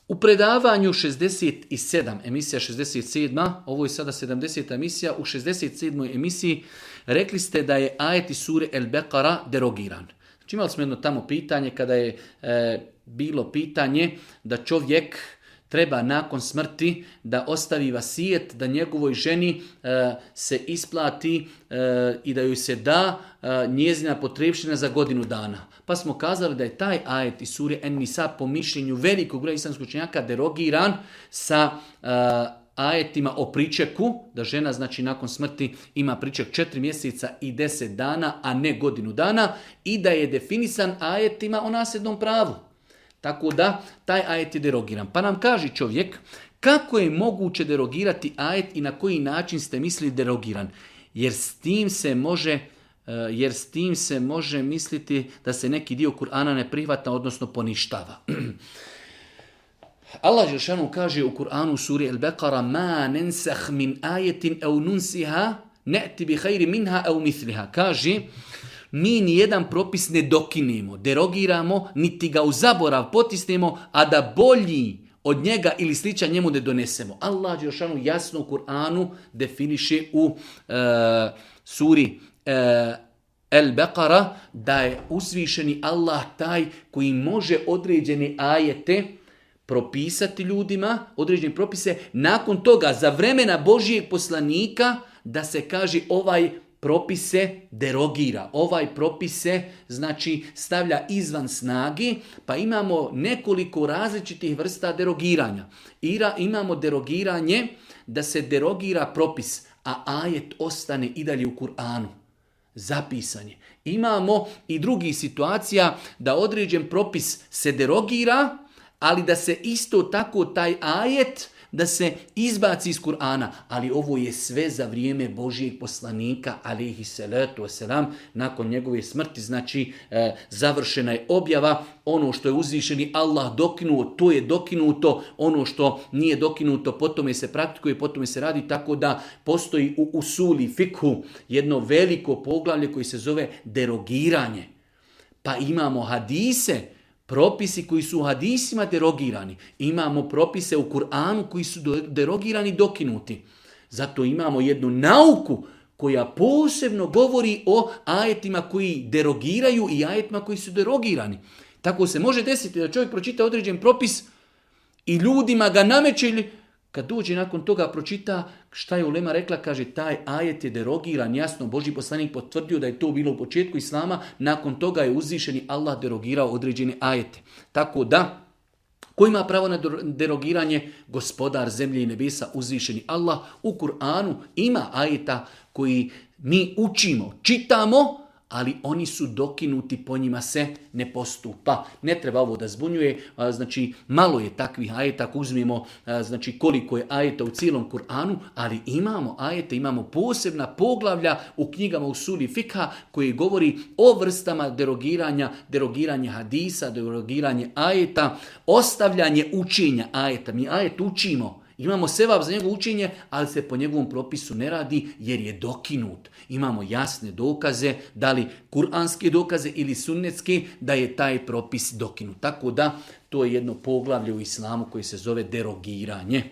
U predavanju 67, emisija 67, ovo je sada 70. emisija, u 67. emisiji rekli ste da je ajet iz sure El Beqara derogiran. Znači imali smo jedno tamo pitanje kada je bilo pitanje da čovjek treba nakon smrti da ostavi vasijet, da njegovoj ženi se isplati i da joj se da njezina potrebština za godinu dana. Pa smo kazali da je taj ajet iz sure En-Nisa po mišljenju velikog broja islamskih učenjaka derogiran sa ajetima o pričeku, da žena znači nakon smrti ima priček 4 mjeseca i 10 dana, a ne godinu dana, i da je definisan ajetima o nasljednom pravu. Tako da, taj ajet je derogiran. Pa nam kaže čovjek, kako je moguće derogirati ajet i na koji način ste mislili derogiran? Jer s tim se može misliti da se neki dio Kur'ana ne prihvata, odnosno poništava. Allah dželešanu kaže u Kur'anu u suri El Beqara ma nensah min ajetin au nunsiha ne'ti bi khayri minha au mithliha. Kaže, mi nijedan propis ne dokinemo, derogiramo, niti ga u zaborav potisnemo, a da bolji od njega ili sličan njemu ne donesemo. Allah dželešanu jasno u Kur'anu definiše u suri El Beqara da je uzvišeni Allah taj koji može određene ajete propisati ljudima, određene propise, nakon toga za vremena Božijeg poslanika da se kaže ovaj propis se derogira, ovaj propis se znači stavlja izvan snage, pa imamo nekoliko različitih vrsta derogiranja. Imamo derogiranje da se derogira propis, a ajet ostane i dalje u Kur'anu. Zapisan je. Imamo i drugih situacija da određen propis se derogira, ali da se isto tako taj ajet da se izbaci iz Kur'ana. Ali ovo je sve za vrijeme Božijeg poslanika, alejhi salatu vesselam, nakon njegove smrti, znači završena je objava, ono što je uzvišeni Allah dokinuo, to je dokinuto, ono što nije dokinuto, potom se praktikuje, potom se radi, tako da postoji u usuli fikhu jedno veliko poglavlje koji se zove derogiranje. Pa imamo hadise, propisi koji su u hadisima derogirani. Imamo propise u Kur'anu koji su derogirani, dokinuti. Zato imamo jednu nauku koja posebno govori o ajetima koji derogiraju i ajetima koji su derogirani. Tako se može desiti da čovjek pročita određen propis i ljudima ga nameće, ili kad dođe nakon toga pročita šta je ulema rekla, kaže taj ajet je derogiran, jasno Božji poslanik potvrdio da je to bilo u početku Islama, nakon toga je uzvišeni Allah derogirao određene ajete. Tako da, ko ima pravo na derogiranje? Gospodar zemlje i nebesa, uzvišeni Allah. U Kur'anu ima ajeta koji mi učimo, čitamo, ali oni su dokinuti, po njima se ne postupa. Ne treba ovo da zbunjuje, znači malo je takvih ajeta, ako uzmemo znači koliko je ajeta u cijelom Kur'anu, ali imamo ajete, imamo posebna poglavlja u knjigama u suri fikha koji govori o vrstama derogiranja, derogiranje hadisa, derogiranje ajeta, ostavljanje učenja ajeta. Mi ajet učimo, imamo sevap za njegovo učenje, ali se po njegovom propisu ne radi jer je dokinut. Imamo jasne dokaze, da li kuranske dokaze ili sunnetske, da je taj propis dokinut. Tako da to je jedno poglavlje u islamu koje se zove derogiranje.